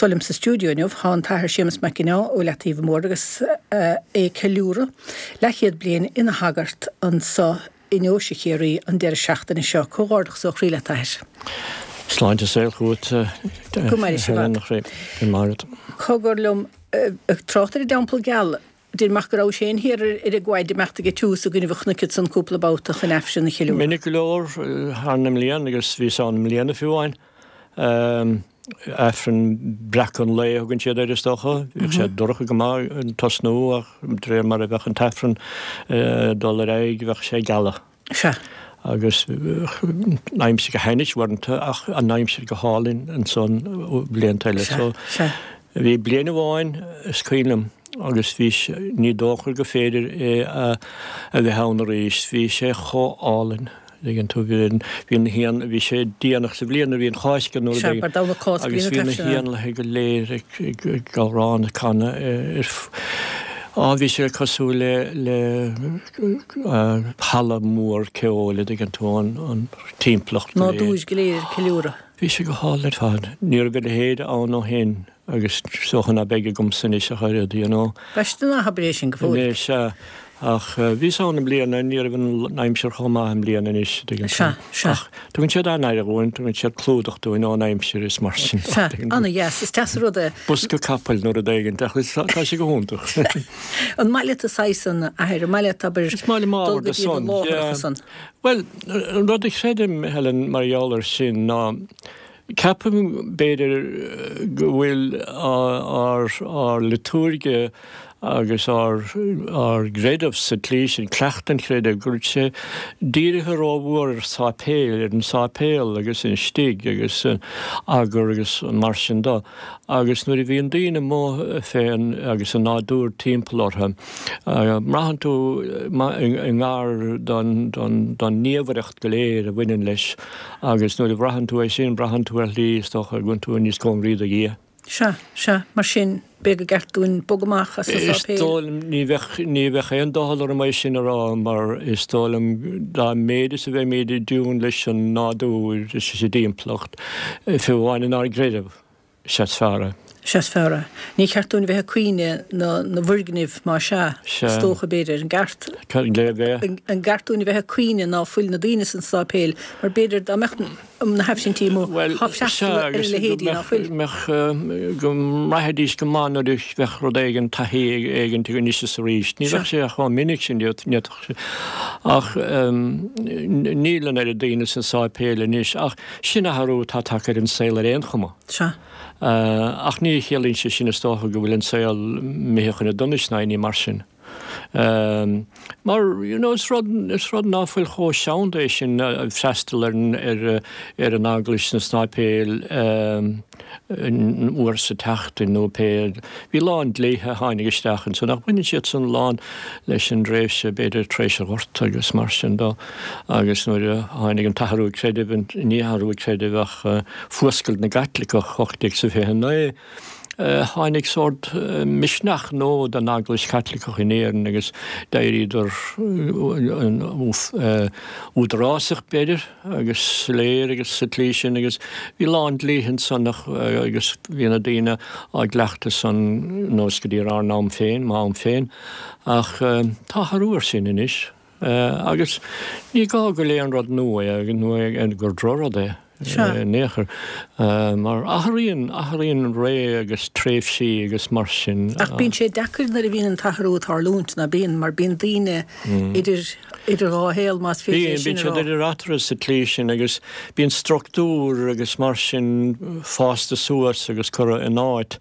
Anseo liom sa stiúideo inniu tá an tAthair Séamus Mac Ginneá ó Leataobh Mór agus é ag ceiliúradh leathchéad bliain ina shagart anseo i nDeoise Chiarraí an deireadh seachtaine seo. Comhghairdeachas ó chroí leat, a Athair. Sláinte is saol chugat, Go maire sibh Helen, a chroí. Go maire. Cogar liom, ag trácht ar an dTeampall Geal, deirim ach go rabhais féin thiar ar an gquay ag imeacht ag an tiús i gcoinnibh an chnoic ansan cúpla babhta chun Aifreann a cheiliúradh. Minic go leor thar na mblian agus bhíos ann i mbliana fiú amháin. Aifreann breacadh an lae a thugann siad air is dócha. Bhíodh sé dorcha go maith ag tosnú ach de réir mar a bheadh an t-aifreann ag dul ar aghaidh bheadh sé ag gealadh. Sea. Agus an aimsir go hainnis uaireanta ach an aimsir go hálainn ansan blianta eile. Sea, sea. Bhí bliain amháin is cuimhin liom agus bhí sé, ní dócha gur féidir é a bheith ann arís, bhí sé chomh álainn. Tuigeann tú, bhí an, bhí na héan, bhí sé déanach sa bhliain nuair a bhí an Cháisc nó rud Sea, éigin mar Domhnach Cásca agus bhí bhí na na taifsinn ann. héanlaithe go léir ag, ag, ag amhrán, ag canadh ar, á bhí sé cosúil le, le halla mór ceoil, a dtuigeann tú, an, an timpeallacht go léir. Nádúr go léir ag ceiliúradh. Bhí sé go hálainn ar fad. Ní raibh a leithéid ann ó shin. Agus is dócha ná beidh agamsa anois ach oiread, you know. B'aiste ná habair é sin go fóill. Anois, sea. Ach bhíos ann i mbliana, ní raibh an aimsir chomh maith i mbliana anois, an dtuigeann tú. Sea, sea. Ach tugann siad an-aire dhúinn, tugann siad clúdach dúinn ón aimsir is mar sin. Sea, an-dheas, is deas an rud é. Bosca capaill nó rud éigin, ach tá sé go hiontach. An maith leat an saghas san, a Athair, an maith leat, abair, Is maith liom dul ábhar go de dtí na san, láithreacha yeah. san? Bhuel, an rud a chreidim, Helen, mar gheall air sin ná, Ceapaim, b'fhéidir, go bhfuil ár liotúirge agus ár gcreideamh sa tslí sin, cleachtadh an chreidimh, go bhfuil sé dírithe rómhór ar sáipéil, ar an sáipéal agus an istigh agus an eagar agus mar sin de. Agus nuair a bhíonn daoine amuigh fén agus an nádúr timpeall orthu, braitheann tú i ngar don naomhaireacht go léir a bhaineann leis. Agus nuair a bhraitheann tú é sin, braitheann tú ar shlí, is dócha, go bhfuil tú níos cóngaraí do Dhia. Sea, sea, mar sin, b'fhéidir gur ceart dúinn bogadh amach as an Is sáipéal. dóigh liom, ní bheadh, ní bheadh aon doicheall orm é sin a rá, mar is dóigh liom, dá mhéid is a bheimid i dtiúin leis an nádúr is leis an dtimpeallacht, fiú amháin inár gcreideamh, Is ea is fearr é. Is ea is fearr é. Ní ceart dúinn a bheith ag caoineadh na na bhfoirgneamh má sea, is dócha, b'fhéidir. An gceart? Léamh é. An gceart dúinn a bheith ag caoineadh ná fuil na daoine san sáipéal mar b'fhéidir dá mbeadh na haifrintí amuigh tá freastal ar a leithéidí ná fuil. Mbeadh, go mbraithfidís go maith nuair a bheadh rud éigin, taithí éigin anois is arís. Ní bheadh sé chomh minic sin, ní fhéadfadh sé. Ach níl an oiread daoine sna sáipéil anois ach Sin athrú atá tagtha ar an saol ar aon chuma. Sea. Ach ní chiallaíonn sé sin, is dócha, go bhfuil an saol imithe chun an donais ná aon ní mar sin. Mar, you know, is rud, is rud ná fuil chomh seanda é sin freastal ar an, ar, ar an eaglais sna sáipéil uair sa tseachtain nó pé. Bhí a lán dlíthe a tháinig isteach ansan ach baineann siad san a lán leis an dtréimhse b'fhéidir tar éis an Ghorta agus mar sin dó. Agus nuair a tháinig an t-athrú creidimh, ní athrú creidimh ach fuascailt na gCaitliceach 1829, tháinig sórt misneach nua don Eaglais Chaitliceach in Éirinn agus d'éiríodar údarásach, b'fhéidir, agus soiléir agus sa tslí sin agus bhí a lán dlíthe ansan agus bhí na daoine á gcleachtadh san anuas go dtí ár n-am féin, m'am féin. Ach tá athrú ar sin anois. Agus ní gá gur aon rud nua é, nó gur drochrud é in aon chor, mar athraíonn, athraíonn ré agus tréimhsí agus mar sin. Ach bíonn sé deacair nuair a bhíonn an t-athrú ag tarlúint, ná bíonn? Mar bíonn daoine idir, idir dhá shaol, más féidir é sin a rá. Bíonn, bíonn siad idir eatarthu sa tslí sin agus bíonn struchtúr agus mar sin fásta suas agus curtha in áit,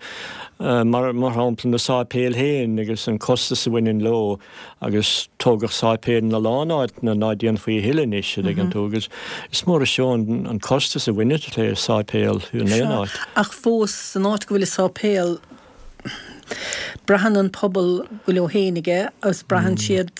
mar, mar shampla na sáipéil féin agus an costas a bhaineann leo. Agus tógadh sáipéil ina lán áiteanna ná déanfaí a thuilleadh anois, a dtuigeann tú, agus is mór is seó an costas a bhaineann le sáipéal in aon áit. Ach fós, san áit go bhfuil an sáipéal, braitheann an pobal go bhfuil leo féin aige agus braitheann siad,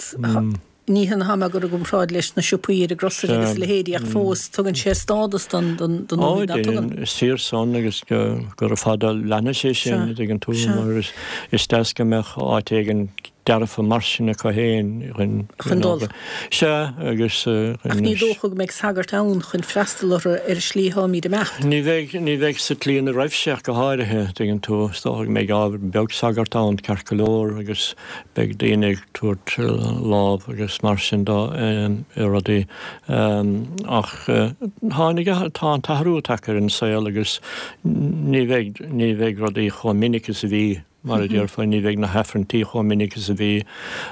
ní hionadh tá mé ag dul i gcomparáid leis na siopaí ar an gcrosaire agus a leithéidí ach fós, tugann sé stádas don don don Ó, déanann, is fíor san agus gura fada leanfaidh sé sin, a dtuigeann tú, mar is deas go mbeadh áit éigin. dearfa mar sin acu féin chun. Chun dul. Sea, agus. Ach ní dócha go mbeidh sagart ann chun freastal orthu ar an slí atáimid ag imeacht. Ní bheidh, ní bheidh sa tslí ina raibh sé ach go háirithe, tuigeann tú. Is dócha go mbeidh ábhar beag sagart ann, ceart go leor, agus beidh daoine ag tabhairt lámh agus mar sin de i rudaí. Ach tháinig, tá an t-athrú tagtha ar an saol agus ní bheidh, ní bheidh rudaí chomh minic is a bhí. Mar a déarfá, ní bheidh na hAifrinntí chomh minic is a bhí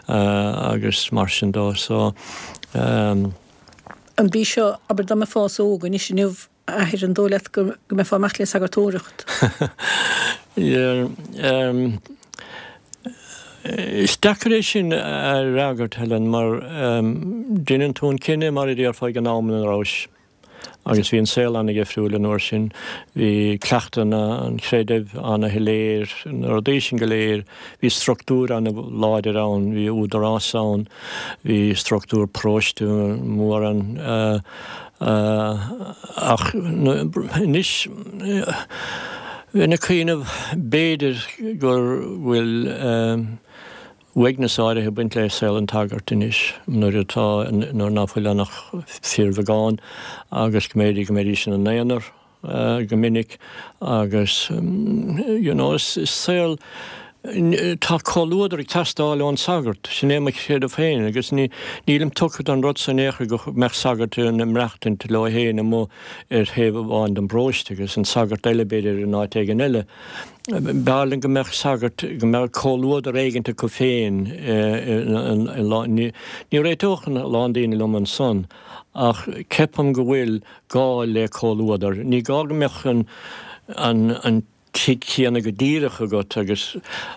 agus mar sin dó. So. An bí seo, abair dá mbeifeása óg anois inniu, a athair, an dóigh leat go mbeifeá ag imeacht le sagartóireacht? Is deacair é sin a fhreagairt, Helen, mar deineann tú an cinneadh, mar a déarfá, ag an am ina rabhais. Agus bhí an saol ana-dhifriúil an uair sin. Bhí cleachtadh an chreidimh ana-shoiléir, na rudaí sin go léir. Bhí struchtúr ana-láidir ann, bhí údarás ann, bhí struchtúr paróiste mór ann. Ach anois, bheinn ag cuimhneamh, b'fhéidir go bhfuil, uaigneas áirithe ag baint le saol an tsagairt anois nuair atá, nuair ná fuil ann ach fíorbheagán agus go mb'fhéidir go mbeidís ina n-aonar go minic agus you know is saol, tá comhluadar ag teastáil ón sagart, sin é mo chreideamh féin agus ní, nílim tugtha don rud san in aon chor go mbeadh sagart ag maireachtaint leo féin amuigh ar thaobh amháin den bparóiste agus an sagart eile b'fhéidir in áit éigin eile. B'fhearr liom go mbeadh sagart, go mbeadh comhluadar éigint acu féin i lá, ní réiteodh a lán daoine liom ansan ach ceapaim go bhfuil gá le comhluadar. Ní gá go mbeadh an, an, an tigh céanna go díreach agat agus,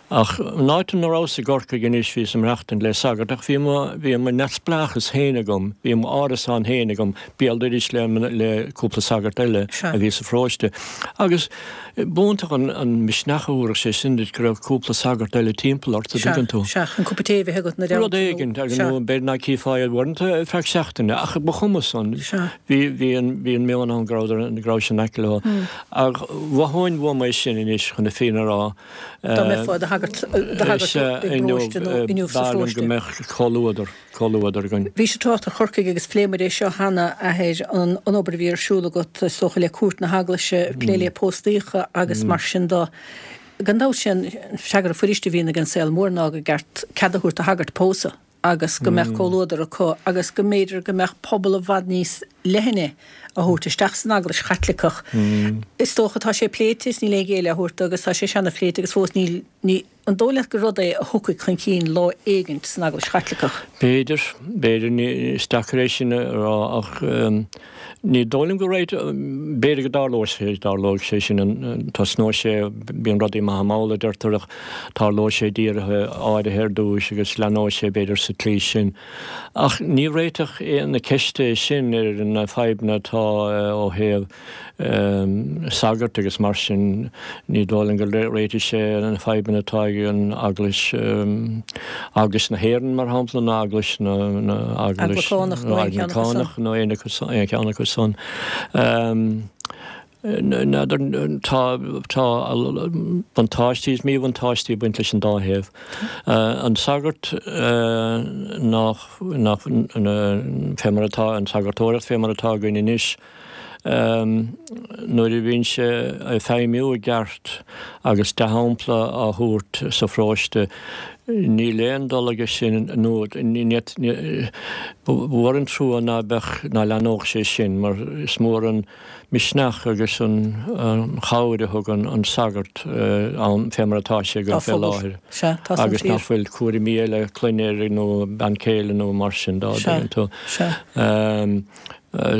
ach an áit ina rabhas i gCorcaigh anois bhíos ag maireachtaint le sagart ach bhí mo, bhí mo neamhspleáchas féin agam, bhí m'árasán féin agam, béal dorais le, le cúpla sagart eile a bhí sa pharóiste agus, B'iontach an misneach a thabharfadh sé sin duit go raibh cúpla sagart eile timpeall ort, an dtuigeann tú. Sea, chun cupa tae a bheith agat ina dteannta Rud éigin, agus nó b'fhéidir ná cífeá iad uaireanta ar feadh seachtaine, ach ba chuma san. Bhí, bhí an, bhí an meon ann go rabhadar, go raibh sin aice leo. Ach mhothóinn uaim é sin anois, chun na fírinne a rá. Dá mbeifeá i do shagart, do shagart i bparóiste nó inniu sa pharóiste. B'fhearr liom go mbeadh comhluadar. comhluadar againn. Bhís ag trácht ar Chorcaigh agus phléigh muid é seo cheana, a Athair, an obair a bhí ar siúl agat, is dócha, le Cúirt na hEaglaise, ag plé le póstaíocha agus mar sin de. Gan dabht sé an freagra fuiriste a bhíonn ag an saol mór ná gur ceart cead a thabhairt do shagairt pósadh agus go mbeadh comhluadar acu agus go mb'fhéidir go mbeadh pobal i bhfad níos leithne a thabhairt isteach san Eaglais Chaitliceach. Is dócha tá sé pléite is níl aon ghéilleadh á thabhairt dó agus tá sé seana-phléite agus fós níl, ní. An dóigh leat gur rud é a thiocfaidh chun cinn lá éigint san Eaglais Chaitliceach? B'fhéidir, b'fhéidir. Is deacair é sin a rá ach ní dóigh liom go raibh, b'fhéidir go dtarlóidh sé, dtarlóidh sé sin, tosnóidh sé, bíonn rudaí maith mall a deirtear ach tarlóidh sé i dtíortha áirithe ar dtúis agus leathnóidh sé b'fhéidir sa tslí sin. Ach ní réiteach na ceiste é sin ar na fadhbanna atá ó thaobh sagart agus mar sin ní dóigh liom go réiteoidh sé na fadhbanna atá ag an Eaglais, Eaglais na hÉireann mar shampla nó Eaglais na, Eaglais Anglacánach nó aon cheann acu san. N'fheadar, tá, tá buntáistí is míbhuntáistí ag baint leis an dá thaobh. An sagart nach, nach, fé mar atá an tsagartóireacht fé mar atá againn anois, Nuair a bhíonn sé ag feidhmiú i gceart agus dea-shampla á thabhairt sa pharóiste, níl aon dul aige sin nó ba mhór an trua ná beadh, ná leathnódh sé sin mar is mór an misneach agus an chabhair a thugann an sagart ann fé mar atá sé againn fé láthair agus nach bhfuil cúraimí eile clainne air nó bean chéile nó mar sin dá dtuigeann tú.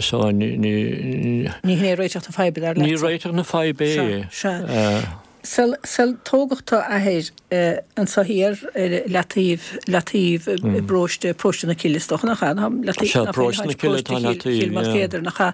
So ní. Ní hin é réiteach na faidhbe, dar leatsa. Ní réiteach na faidhbe é. Sea, sea. Sul, sul tógadh tú, a Athair, anso thiar ar leataobh, leataobh i bparóiste, paróiste na Cille is dócha, nach ea? Leataobh, Sea, paróiste na Cille atá leataobh, Chill Mholchéadair, nach ea?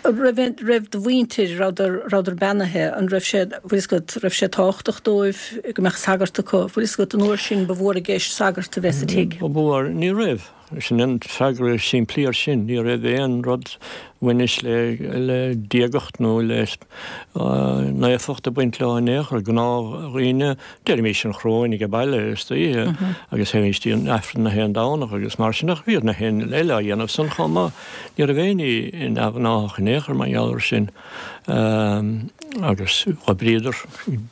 Raibh, raibh do mhuintir, rabhadar, rabhadar beannaithe, an raibh sé, bhfuil fhios agat, raibh sé tábhachtach dóibh go mbeadh sagart acu? Bhfuil fhios agat, an uair sin ba mhór i gceist sagart a bheith sa tigh? Ba mhór, ní raibh. Sin an freagra simplí ar sin. Ní raibh aon rud a bhaineas le le diagacht nó le naofacht ag baint leo in aon chor. Gnáthdhaoine, deirimís an choróin age baile istoíche agus théimís dtí an Aifreann na haon Domhnach agus mar sin ach bhíodh na haon eile á dhéanamh san chomh maith. Ní raibh aon ní neamhghnáthach in aon chor mar gheall ar sin. Agus dh'oibríodar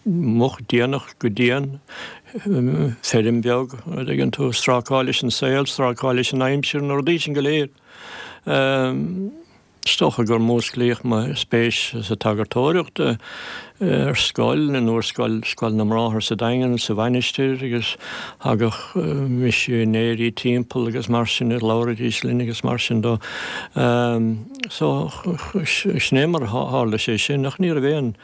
moch déanach go dian, feirm bheag, an dtuigeann tú, strácáil leis an saol, strácáil leis an aimsir, na rudaí sin go léir. Is dócha gur músclaíodh mo spéis sa tsagartóireacht ar scoil, in úrscoil, Scoil na mBráthar sa Daingean, sa Mhainistir agus thagadh misinéirí timpeall agus mar sin, labhraidís linn agus mar sin dó. So, sin é mar a tharla sé sin ach ní raibh aon,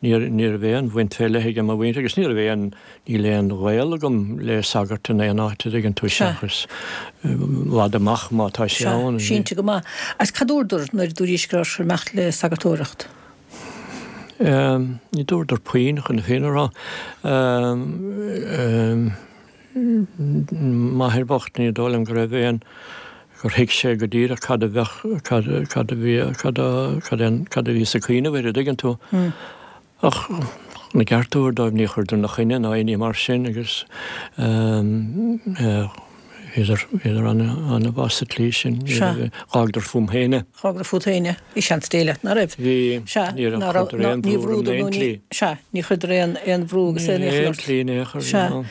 ní raibh aon bhaint fé leith ag mo mhuintir agus ní raibh aon, Níl aon ghaol agam le sagart in aon áit, a dtuigeann tú, seachas i bhfad amach má tá sé ann. Sea, cinnte go maith. Agus cad dúradar nuair a dúraís go raibh tú ag imeacht le sagartóireacht? Ní dúradar puinn, chun na fírinne a rá. M'athair bocht, ní dóigh liom go raibh aon, gur thuig sé go díreach cad a bheadh, cad, cad a bhí, cad a, cad é, cad a bhí sa cuimhneamh air, a dtuigeann tú. Ach na gceart a thabhairt dóibh ní chuireadar 'na choinne ná aon ní mar sin agus bhíodar bhíodar ana-mhaith sa tslí sin. Dh'fhágadar fúm féin é. Dh'fhágadar fút féin é. Bhí seans Dé leat, ná raibh? Bhí. Ní chuireadar aon bhrú orm in aon tslí. Sea, ní chuireadar aon aon bhrú agus aon iachall ort. Aon tslí in aon chor. Sea.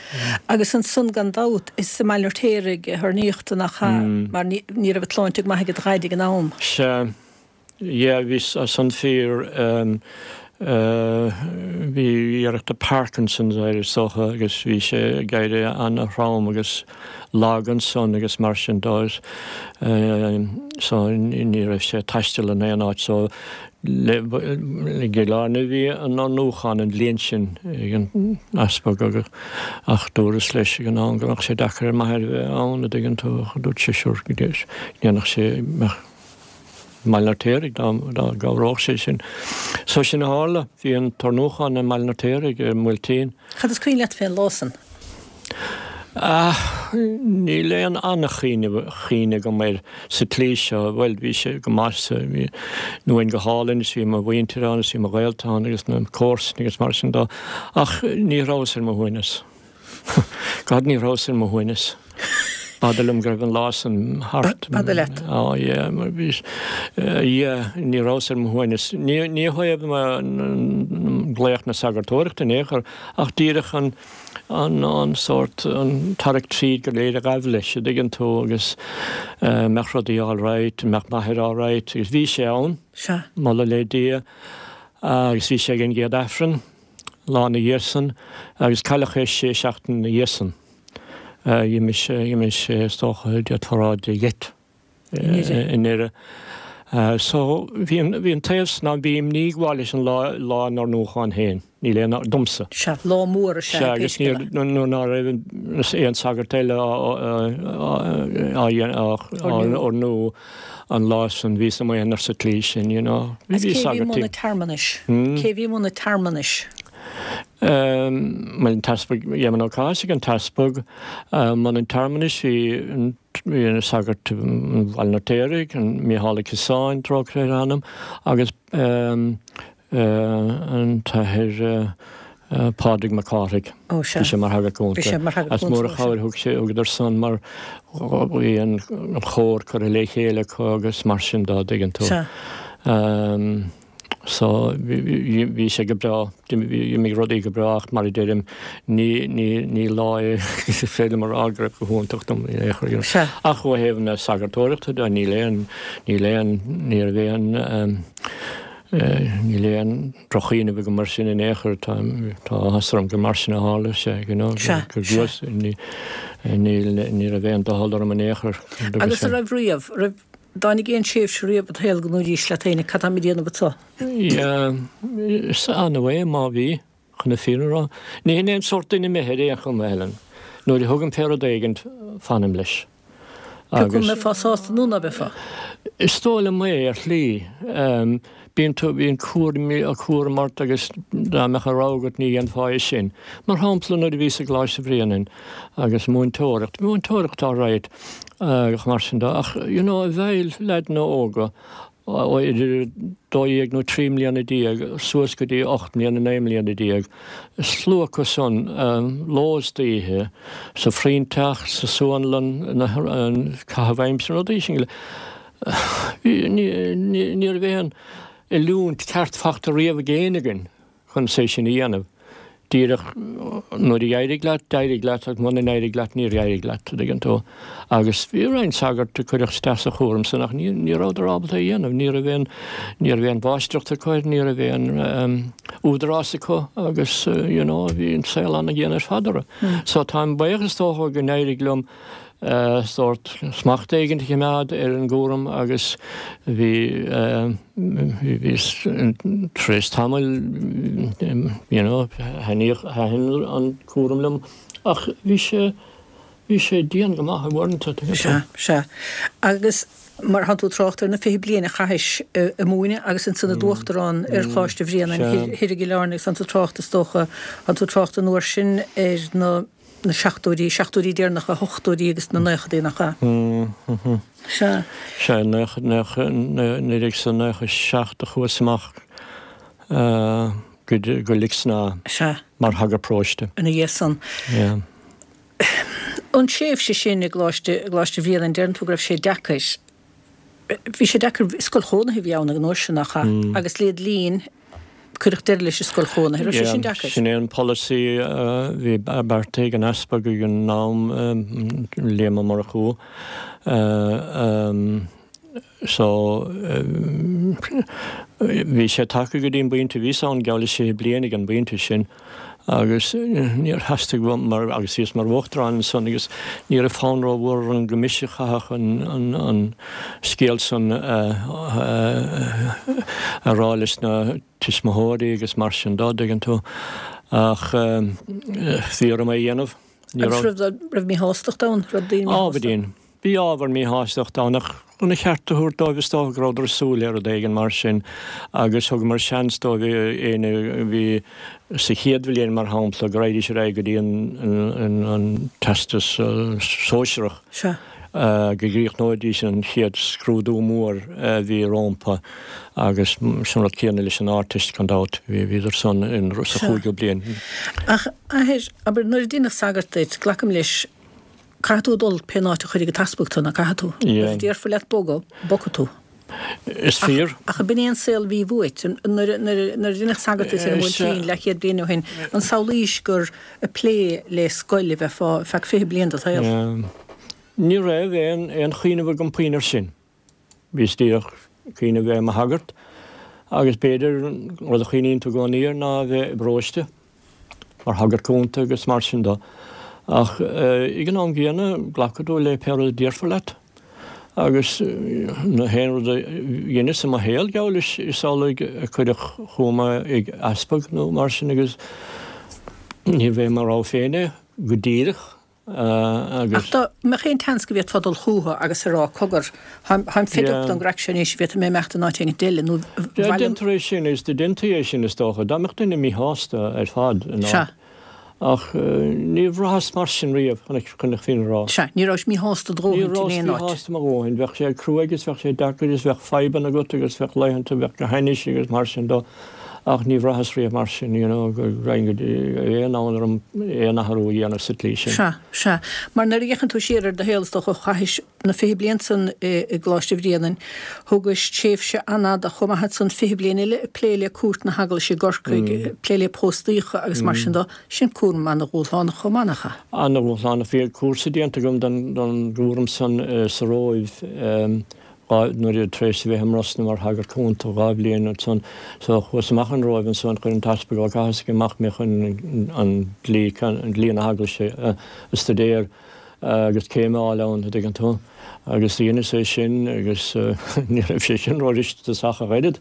Agus ansan gan dabht is i mBaile an Fheirtéaraigh a hoirníodh tú nach ea? Mar ní raibh an tsláinte go maith ag do dhaid ag an am. Sea. Yeah, bhí san fíor, bhí iarracht de Parkinson's air is dócha agus bhí sé ag éirí ana-throm agus lag ansan agus mar sin dó so ní raibh sé ag taisteal in aon áit so i gCill Airne a bhí an oirniúchán an bhliain sin ag an easpag agus ach dúras leis ag an am go mbeadh sé deacair ar m'athair a bheith ann a dtuigeann tú ach dúirt sé sure go ndéanfadh sé mbeadh i mBaile an Fheirtéaraigh dá gcabhródh sé sin. So sin a tharla, bhí an t-oirniúchán i mBaile an Fheirtéaraigh i mBuailtín. Cad is cuimhin leat fén lá san? Ah, níl aon an-chuimhne agam air sa tslí seo. Bhuel, bhí sé go maith sa, bhí an uain go hálainn is bhí mo mhuintir ann is bhí mo ghaolta ann agus na comharsana agus mar sin dó. Ach ní rabhas ar mo shuaimhneas. God ní rabhas ar mo shuaimhneas. B'fhada liom go raibh an lá san thart. B'fhada leat. Á yeah, mar bhí, yeah, ní rabhas ar mo shuaimhneas. Ní, ní ó thaobh glaoch na sagartóireachta in aon chor, ach díreach an, an, an sórt, an tarrac tríd go léir a ghabh leis, a dtuigeann tú, agus mbeadh rudaí all right, mbeadh m'athair all right, agus bhí sé ann, moladh le Dia, agus bhí sé ag an gcéad Aifreann. Lá ina dhiaidh san, agus cailleadh é sé seachtaine ina dhiaidh san. D'imigh sé, d'imigh sé is dócha, d'fhéadfá a rá de gheit i nDoire. So, bhí an, bhí an taobh san ann, bhí imní ag gabháil leis an lá, lá an oirniúcháin féin, níl aon, domsa. Sea, lá mór is ea é pé scéal é. Sea, agus níor, nuair ná raibh aon sagart eile á, á, á, á oirniú, an lá san bhíos i m'aonar sa tslí sin, you know. Agus cé a bhí i mbun na tearmanais? Cé a bhí i mbun na tearmanais? Bhuel, an tEaspag Éamonn Ó Cathasaigh, an tEaspag, i mbun an tearmanais bhí an bhí an sagart Bhaile an Fheirtéaraigh, an Mícheál Ó Ciosáin, trócaire ar a anam, agus an tAthair Pádraig Mac Cárthaigh. Ó, sea. Bhí sé mar shagart cúnta. Bhí sé mar shagart cúnta. Is mór an chabhair thug sé, thugadar san mar bhí an chór curtha le chéile acu agus mar sin dá dtuigeann tú. Sea. So, bhí sé go breá, d'imigh rudaí go breá ach mar a deirim, ní, ní, ní lá é is féidir liom a rá go raibh go hiontach dom in aon chor. Sea. Ach ó thaobh na sagartóireachta de, níl aon, níl aon, ní raibh aon, Níl aon droch-chuimhneamh agam air sin in aon chor, tá áthas orm gur mar sin a tharla sé, you know, Sea, gur sea. gluais, ní, níl, ní raibh aon doicheall orm in aon chor. Agus an raibh riamh, raibh, dtáinig aon tréimhse riamh i do shaol go ndúraís leat féin, cad táim ag déanamh anso? Yeah, is annamh é má bhí. Chun na fírinne a rá, ní hin é an sórt duine mé ar aon chuma, Helen. Nuair a thugaim fé rud éigint, fanaim leis. Pé acu an mbeifeá sásta nó ná beifeá. Is dóigh liom é, ar shlí. Bíonn tú, bíonn cúraimí, cúram ort agus dá mbeadh a rogha agat ní dhéanfá é sin. Mar shampla nuair a bhíos i gColáiste Bhréanainn agus múinteoireacht, múinteoireacht alright agus mar sin de ach you know i bhfeighil leaideanna óga ó idir 12 nó 13 mbliana suas go dtí 8 mbliana, 9 mbliana déag, slua acu san ló is d'oíche, sa phroinnteach, sa suanlann, na caitheamh aimsire, rudaí sin. Ní raibh aon oiliúint ceart fachta riamh ag éinne againn chun é sin a dhéanamh. Díreach nuair a d'éirigh leat, d'éirigh leat agus muna n-éirigh leat, níor éirigh leat, an dtuigeann tú. Agus bhí roinnt sagart a cuireadh isteach sa chúram san ach ní rabhadar ábalta é a dhéanamh. Ní raibh aon, ní raibh aon mháistreacht acu air, ní raibh aon údarás acu agus you know bhí an saol an-dhian ar fad orthu. So táim buíoch is dócha go n-éirigh liom sórt smacht éigin a choimeád ar an gcúram agus bhí, bhí, tar éis tamaill, you know, thaitníodh, thaitin an cúram liom ach bhí sé, bhí sé dian go maith uaireanta. Sea, sea. Agus mar thánn tú ag trácht ar na 20 bliain a chaithis ag múineadh agus ansan i d'uachtarán ar Choláiste Bhréanainn thoir i gCill Airne agus tánn tú ag trácht is dócha, tánn tú ag trácht an uair sin ar na, na seachtóidí, seachtóidí deireanacha, ochtóidí agus na naochadaí, nach ea? Sea. Sea, 1997 a chuas amach go Lixnaw mar shagart paróiste. Ina dhiaidh san. Yeah. An tréimhse sin i gColáiste, i gColáiste Bhréanainn, deireann tú go raibh sé deacair. Bhí sé deacair, scoil chónaithe a bhí ann ag an uair sin, nach ea? Agus led linn, cuireadh deireadh leis an scoil chónaithe. Raibh sé sin deacair? Sin é an polasaí a bhí beartaithe ag an Easpag ag an am, Liam Ó Murchú. So, bhí sé tagtha go dtí an bpointe, bhíos ann geall le sé bliana ag an bpointe sin, agus níor theastaigh uaim mar, agus bhíos mar uachtarán ansan agus ní raibh fonn rómhór orm go mise a chaithfeadh an scéal san a rá leis na tuismitheoirí agus mar sin dó, dtuigeann tú. Ach bhí orm é a dhéanamh. Ní raibh. Agus raibh míshástacht ann? Raibh daoine míshásta? Ábhairín. Bhí ábhar míshástachta ann ach chun a cheart a thabhairt dóibh is dócha go rabhadar ag súil le rud éigin mar sin agus thugamar seans dóibh éinne a bhí sa chéad bhliain mar shampla go raghaidís ar aghaidh go dtí an Teastas Sóisearach go gcríochnóidís an chéad scrúdú mór a bhí rómpa agus sin an rud céanna leis an Ardteist gan dabht, bhíodar san sa chúigiú bliain. Ach athair, abair nuair a deineadh sagart duit, glacaim leis, Caithfidh tú dul pén áit a chuirfidh an t-easpag tú, nach gcaithfidh tú? Nuair a déarfar leat bogadh, bogfaidh tú. Is fíor. Ach ab in é an saol a bhí uait? Nuair a deineadh sagart duit ar an mBuailtín leathchéad bliain ó shin, an samhlaís gur ag plé le scoil a bheifeá ar feadh 20 bliain de do shaol? Ní raibh aon chuimhneamh agam puinn air sin. Bhíos díreach ag cuimhneamh bheith i mo shagart agus b'fhéidir rud a chuimhníonn tú i gcónaí air ná a bheith i bparóiste mar shagart cúnta agus mar sin de. Ach ag an am gcéanna glacfaidh tú le pé rud a déarfar leat agus an t-aon rud a dheineas i mo shaol geall leis is amhlaidh a cuireadh chugam é ag easpag nó mar sin agus níorbh é mo rogha féin é go díreach. Ach dá mbeadh aon tseans go bhféadfá dul chucu agus a rá, cogar, táim fed up den gcraic seo anois, bhféadfaidh mé imeacht in áit éigin eile nó bhaile. Déantar é sin, is déantaí é sin is dócha, dá mbeadh duine míshásta ar fad in áit. Ach ní bhraitheas mar sin riamh, chun na fírinne a rá. Sea, ní rabhais míshásta do dhóthaint in aon áit. Ní rabhas míshásta mo dhóthain. Bheadh sé cruaidh is bheadh sé deacair is bheadh fadhbanna agat agus bheadh laethanta a bheadh go hainnis agus mar sin dó. Ach ní bhraitheas riamh mar sin, you know, go raibh aon fhonn orm aon athrú a dhéanamh sa tslí sin. Sea, sea. Mar nuair a fhéachann tú siar ar do shaol, is dócha, chaithis na 20 bliain san i gColáiste Bhréanainn, thugais tréimhse an-fhada chomh maith ansan, 20 bliain eile ag plé le cúirt na hEaglaise i gCorcaigh, ag plé le póstaíocha agus mar sin de. Sin cúram an-dhúshlánach chomh maith, nach ea? An-dhúshlánach. Bhí cúrsa déanta agam don gcúram san sa Róimh. Nuair a, tar éis a bheith i mBrosna mar shagart cúnta 2 bhliain ansan, so chuas amach an Róimh ansan, chuir an tEaspag Ó Cathasaigh amach mé chun an dlí, dlí na hEaglaise a stuidéar agus céim a fháil ann, a dtuigeann tú. Agus dheineas é sin agus ní raibh sé sin ró-riachtanach ach oiread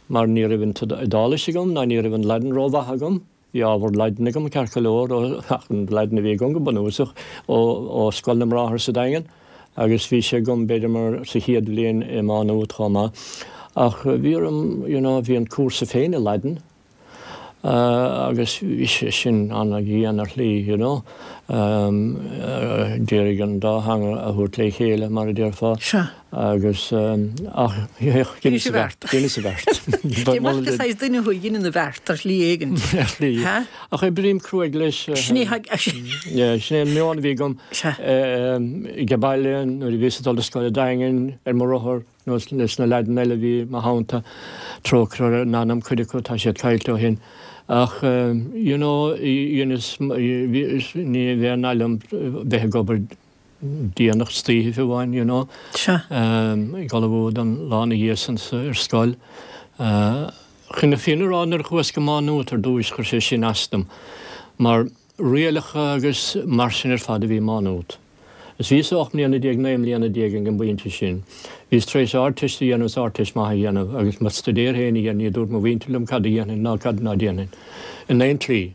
mar ní raibh an t-Iodáilis agam ná ní raibh an Laidin rómhaith agam. Bhí ábhar Laidine agam ceart go leor, ach an Laidin a bhí agam go bunúsach ó Scoil na mBráthar sa Daingean agus bhí sé agam b'fhéidir mar sa chéad bhliain i Má Nuad chomh maith. Ach bhí orm, you know, bhí an cúrsa féin i Laidin agus bhí sé sin an-dhian ar shlí, you know. D'iarraidh an dá theanga a thabhairt le chéile, mar a déarfá. Sea. Agus, ach, dheineas an bheart. Dheineas an bheart. Dé mar go saghas duine thú a dheineann an bheart ar shlí éigin. Ar shlí. Ach oibrím cruaidh leis. Sin é, Yeah, sin é an meon a bhí agam. Sea. Ag baile, nuair a bhíos ag dul do scoil an Daingin, ar mo rothar, nó leis na leaideanna eile a bhí i mo theannta, trócaire ar a n-anam, cuid acu, tá siad caillte ó shin. Ach, you know, dheineas, ní bheadh aon fhaille liom bheith ag obair déanach istoíche fiú amháin, you know. Sea. Ag ullmhú don lá ina dhiaidh san ar scoil. Chun na fírinne a rá, nuair a chuas go Má Nuat ar dtúis, chuir sé sin as dom, mar rialacha agus mar sin ar fad a bhí i Má Nuat. Is bhíos 18 mbliana, 19 mbliana ag an bpointe sin. Bhíos tar éis Ardteist a dhéanamh is Ardteist maith a dhéanamh agus mo staidéar féin a dhéanamh, ní dúirt mo mhuintir liom cad a dhéanfainn ná cad ná déanfainn in aon tslí.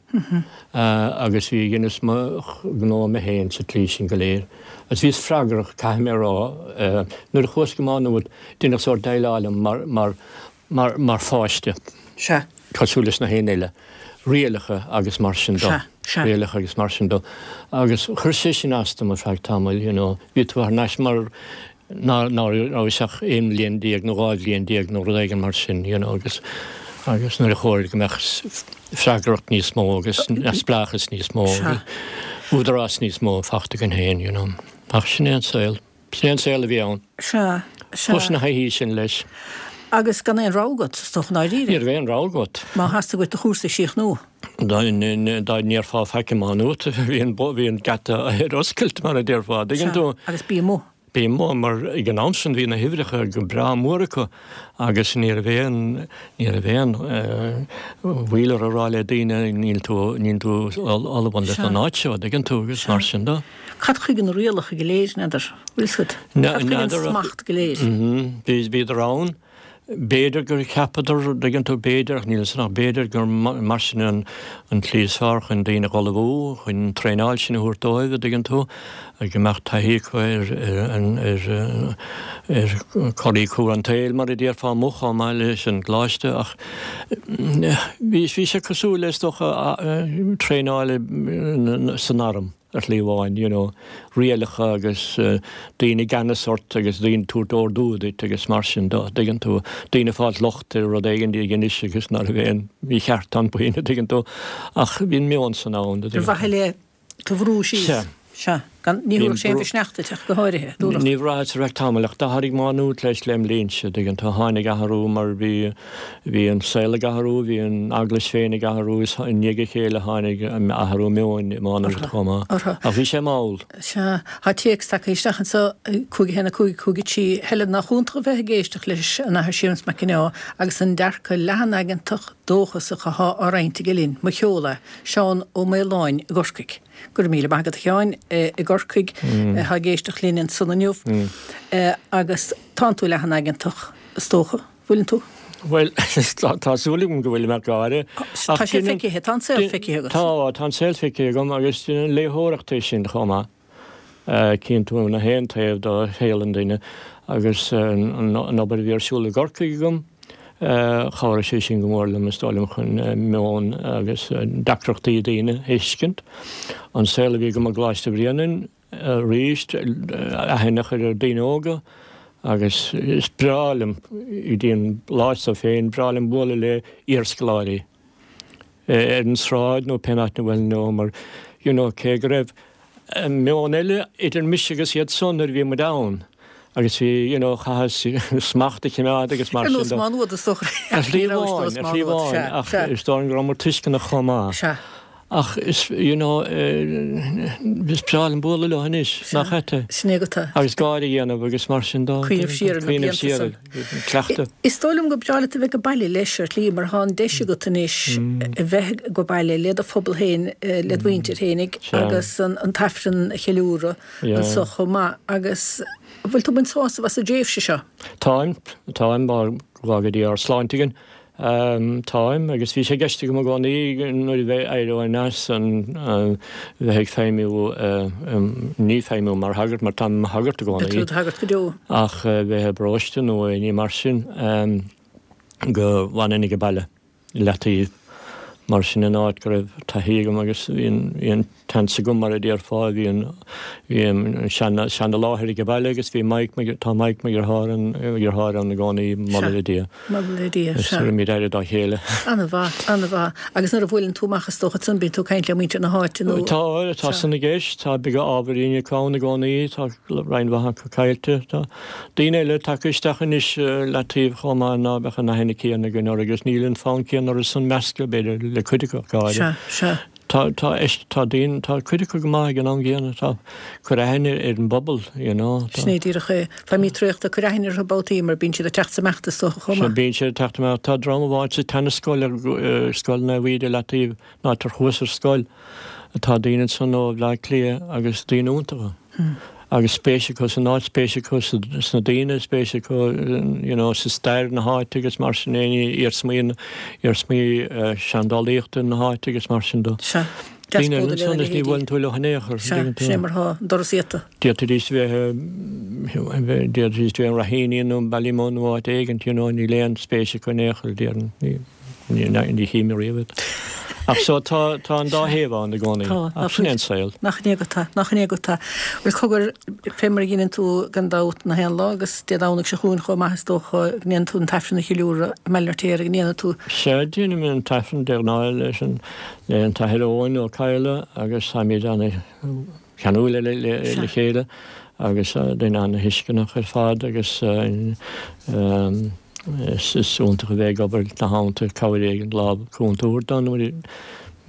Agus bhí, dheineas mo ghnó mé féin sa tslí sin go léir. Agus bhíos freagrach, caithfidh mé a rá, nuair a chuas go Má Nuat, deineadh sórt déileáil liom mar, mar, mar, mar pháiste. Sea. Cosúil leis na héinne eile. Rialacha agus mar sin de. Sea, sea. Rialacha agus mar sin de. Agus chuir sé sin as dom ar feadh tamaill, you know. Bhí tú thar n-ais mar ná, ná rabhais ach 11 bhliain nó 12 bhliain nó rud éigin mar sin, you know, agus, agus nuair a chóir go mbeadh freagracht níos mó agus neamhspleáchas níos mó agus údarás níos mó fachta againn féin, you know. Ach sin é an saol. Sin é an saol a bhí ann. Sea, sea. Chuas ina thaithí sin leis. Agus gan aon rogha agat, is dócha, i ndáiríre. Ní raibh aon rogha agat. Má theastaigh uait do chúrsa a chríochnú. Dá ndéarfá faic i Má Nuat, bhí an, bhí an geata ar oscailt, mar a déarfá, dtuigeann tú. Sea, agus bí amuigh. Bí amuigh, mar ag an am sin bhí na huimhreacha go breá mór acu agus ní raibh aon, ní raibh aon mhoill orthu a rá le daoine níl tú, níl tú ullamh leis an áit seo, dtuigeann tú, agus mar sin de. Cad chuige na rialacha go léir, n'fheadar? Bhfuil 'fhios agat? Cad chuige an smacht go léir? Bhíodar ann. B'fhéidir gur cheapadar, dtuigeann tú, b'fhéidir, ach níl 'fhios agam, ach b'fhéidir gur mar sin an tslí is fearr chun daoine a dh'ullmhú, chun an traenáil sin a thabhairt dóibh, a dtuigeann tú, go mbeadh taithí acu ar ar choraí crua an tsaoil, mar a déarfá, amuigh chomh maith leis an gcoláiste ach bhí sé cosúil le, is dócha, traenáil san arm. ar shlí amháin, you know, rialacha agus daoine i gceannas ort agus daoine ag tabhairt ordú duit agus mar sin de, dtuigeann tú, daoine ag fáilt locht ar rud éigin a dheinis agus ná raibh aon mhícheart ann faoina, dtuigeann tú, ach bhí an meon san ann. Ar mhaithe le tú a bhrú síos. Sea. Sea. Gan, ní thabharfadh sé aon mhisneach duit ach go háirithe, dúradh. Ní bhraitheas ar feadh tamaill ach d'athraigh Má Nuat leis lem linnse, dtuigeann tú, tháinig athrú mar bhí, Bhí an saol ag athrú, bhí an Eaglais féin ag athrú is i ndiaidh a chéile tháinig athrú meoin i Má Nuat chomh maith. Ach bhí sé mall. Sea, tá téacs tagtha isteach anseo, 5 1 5 5 3, Helen, nach iontach a bheith ag éisteacht leis an Athair Séamus Mac Cionnaith agus an dearcadh leathan-aigeantach dóchasach athá á roinnt aige linn. Mo cheol é. Seán Ó Maoláin i gCorcaigh. Go raibh míle maith agat a Sheáin i gCorcaigh athá ag éisteacht linn ansan inniu. Agus tánn tú leathan-aigeantach, is dócha. Bhfuileann tú? Bhuel, tá súil agam go bhfuilim ach gáire. Tá sé feicthe, tá an saol feicthe agat. Tá, tá an saol feicthe agam agus déanann léitheoireacht é sin chomh maith. Cíonn tú na haon taobh de shaol an duine agus an obair a bhí ar siúl i gCorcaigh agam, chabhraigh sé sin go mór liom, is dóigh liom, chun meon agus deacrachtaí daoine a thuiscint. An saol a bhí agam i gColáiste Bhréanainn, Arís, aithne a chur ar daoine óga agus is breá liom, go dtí an lá seo féin, breá liom bualadh le iarscoláirí ar an sráid nó pé áit ina bhfuil leo mar you know cé go raibh meon eile idir mise agus iad san nuair a bhí muid ann agus bhí you know chaitheas smacht a choimeád agus mar sin de. Ar nós Má Nuad is dócha. Ar shlí amháin, ar shlí amháin ach is dóigh liom go rabhamar tuisceanach chomh maith. Sea. Ach is, you know, is breá liom bualadh leo anois, nach ait é? Sin é agat é. Agus gáire a dhéanamh agus mar sin de. Cuimhneamh siar ar na blianta san. Cleachtadh. Is dóigh liom gur breá leat a bheith ag baile leis ar shlí mar tá an deis agat anois a bheith ag baile le do phobal féin, le do mhuintir féinig agus an tAifreann a cheiliúradh anso chomh maith agus an bhfuil tú ag baint sásamh as an dtréimhse seo? Táim, táim, go bhfága Dia ár sláinte againn. Táim, agus bhí sé i gceist agam i gcónaí nuair a bheidh éireoinn as an bheith ag feidhmiú, ní feidhmiú mar shagart, mar táim i mo shagart i gcónaí. Beidh tú i do shagart go deo. Ach bheith i bparóiste nó aon ní mar sin, go bhfanfainn ag baile i leataobh. Mar sin an áit go raibh taithí agam agus bhí an tseans agam, mar a déarfá, bhí an, bhí an seana, seana láthair ag baile agus bhí Mike, tá Mike mo dheartháir an, mo dheartháir ann i gcónaí, moladh le Dia. Moladh le Dia, sea. Tugaimid aire dá chéile. An-mhaith, an-mhaith. Agus nuair a bhuaileann tú amach is dócha ansan bíonn tú ag caint le muintir na háite nó. Tá, tá san i gceist, tá beaga ábhairín acu ann i gcónaí, tá roinnt mhaith acu caillte, tá. Daoine eile tagtha isteach anois leataobh chomh maith ná beadh an aithne céanna againn orthu agus níl an fonn céanna orthu san meascadh, b'fhéidir, le cuid acu ach go háirithe. Sea, sea. Tá, tá, tá daoine, tá cuid acu go maith ag an am gcéanna, tá, cur aithne ar an bpobal, you know. Tá. Sin é díreach é. Feidhmí traochta, cuir aithne orthu babhtaí mar bíonn siad ag teacht is ag imeacht is dócha chomh maith. Sea, bíonn siad ag teacht amach. Tá dream amháin sa tseanascoil, Scoil Naomh Íde leataobh, an áit ar chuas ar scoil. Tá daoine ansan ó Bhleá Cliath agus daoine iontacha. Agus spéis acu san áit, spéis acu sna daoine, spéis acu you know sa stair na háite agus mar sin aon iarsmaí, iarsmaí seandálaíochta na háite agus mar sin de. Sea. Daoine eile ansan is ní bhuaileann tú leo in aon chor. Sea, sin é mar atá, an doras iata. D'fhéadfaidís bheith, d'fhéadfaidís bheith i Raheny nó Ballymun nó áit éigint you know níl aon spéis acu in aon chor, déarfainn. Ní chím ariamh iad. Ach so tá tá an dá thaobh ann i gcónaí. Tá. Ach sin é an saol. Nach in é go tá. Nach in é go tá. Bhuel cogar, fé mar a dheineann tú gan dabht na haon lá agus Dé Domhnaigh seo chugainn chomh maith is dócha go ndéanann tú an tAifreann a cheiliúradh i mBaile an Fheirtéaraigh, an ndéanann tú? Sea, déanaim an tAifreann de ghnáth leis an le an tAthair Eoin Ó Cadhla agus táimid ana cheanúil le le chéile agus duine ana-thuisceanach ar fad agus is iontach a bheith ag obair ina theannta, cabhair éigin, lámh cúnta a thabhairt dó nuair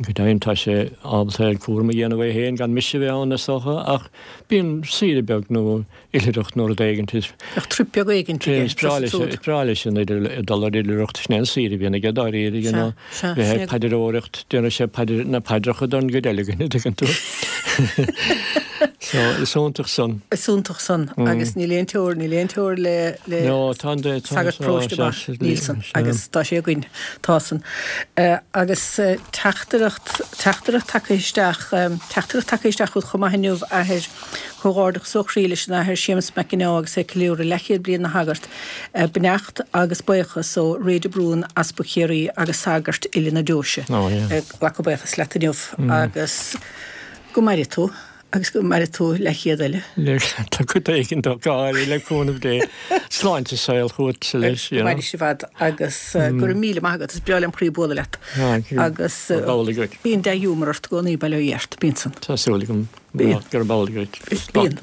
go deimhin tá sé ábalta cúram a dhéanamh é féin gan mise a bheith ann is dócha ach bíonn saoire beag nó oilithreacht nó rud éigint is Bheadh trip beag éigint aige, is breá leis is breá leis an dul ar oilithreacht sin é an saoire a bhíonn aige dáiríre you know bheith ag paidreoireacht déanann sé paidir na paidreacha don gcuid eile againn an dtuigeann tú. So is iontach san. Is iontach san agus níl aon teorainn níl aon teorainn le le No tá an tá sagart paróiste maith níl san agus tá sé againn tá san. Agus teachtaireacht teachtaireacht tagtha isteach teachtaireacht tagtha isteach chugat chomh maith inniu a Athair Comhghairdeachas ó chroí leis an Athair Séamus Mac Ginneá agus é ag ceiliúradh leathchéad bliain ina shagart. Beannacht agus buíochas ó Ray de Brún, Easpag Chiarraí agus sagairt uile na deoise. Ag glacadh buíochas leat inniu agus go maire tú agus go maire tú leathchéad eile. Tá cuid éigin dó go háirithe le cúnamh Dé. Sláinte is saol chugatsa leis. Go maire sibh fhad agus go raibh míle maith agat. Is breá lem chroí bualadh leat agus bíonn dea-ghiúmar ort i gcónaí, bail ó Dhia ort. Bíonn san. Tá súil agam. Gurb amhlaidh dhuit. Bíonn.